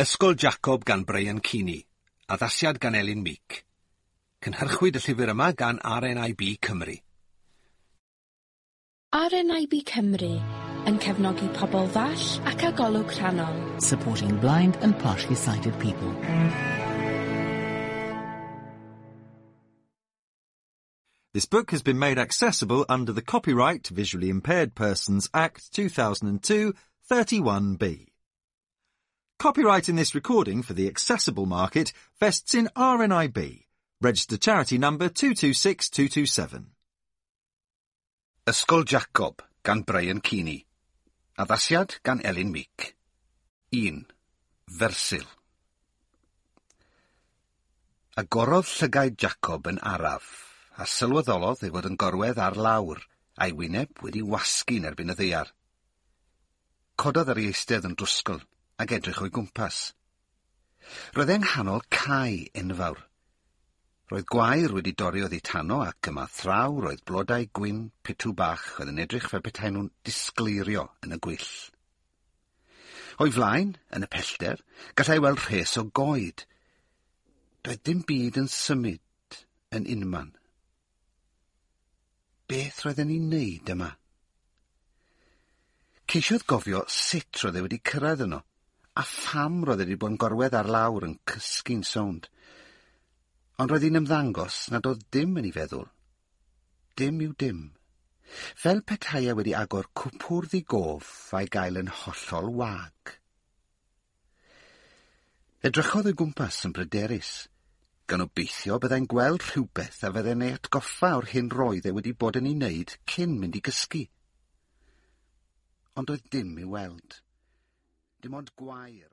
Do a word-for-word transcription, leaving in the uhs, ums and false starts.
Ysgol Jacob gan Brian Keaney. Addasiad gan Elin Meek. Cynhyrchwyd y llyfr yma gan R N I B Cymru. R N I B Cymru yn cefnogi pobl ddall ac â golwg rhannol. Supporting blind and partially sighted people. This book has been made accessible under the Copyright Visually Impaired Persons Act two thousand two, thirty-one B. Copyright in this recording for the accessible market vests in R N I B, registered charity number two two six two two seven. Ysgol Jacob gan Brian Keaney. Addasiad gan Elin Meek. un. Fersil. Agorodd llygaid Jacob yn araf, a sylweddolodd ei fod yn gorwedd ar lawr, a'i wyneb wedi wasgu'n erbyn y ddaear. Cododd ar ei eistedd yn drwsgl ac edrych o'i gwmpas. Roedd e'n nghanol cae enfawr. Roedd gwair wedi dorri oddi tano ac yma thraw roedd blodau gwyn pitw bach oedd yn edrych fel petai nhw'n disgleirio yn y gwyll. O'i flaen, yn y pellter, gallai weld rhes o goed. Doedd dim byd yn symud yn unman. Beth roedd e'n ei wneud yma? Ceisiodd gofio sut roedd e wedi cyrraedd yno, a pham roedd e wedi bod yn gorwedd ar lawr yn cysgu'n sownd. Ond roedd hi'n ymddangos nad oedd dim yn ei feddwl. Dim yw dim. Fel petai e wedi agor cwpwrdd ei gof a'i gael yn hollol wag. Edrychodd o'i gwmpas yn bryderus, gan obeithio byddai'n gweld rhywbeth a fyddai'n ei atgoffa o'r hyn roedd e wedi bod yn ei wneud cyn mynd i gysgu. Ond doedd dim i'w weld. Dim ond gwair.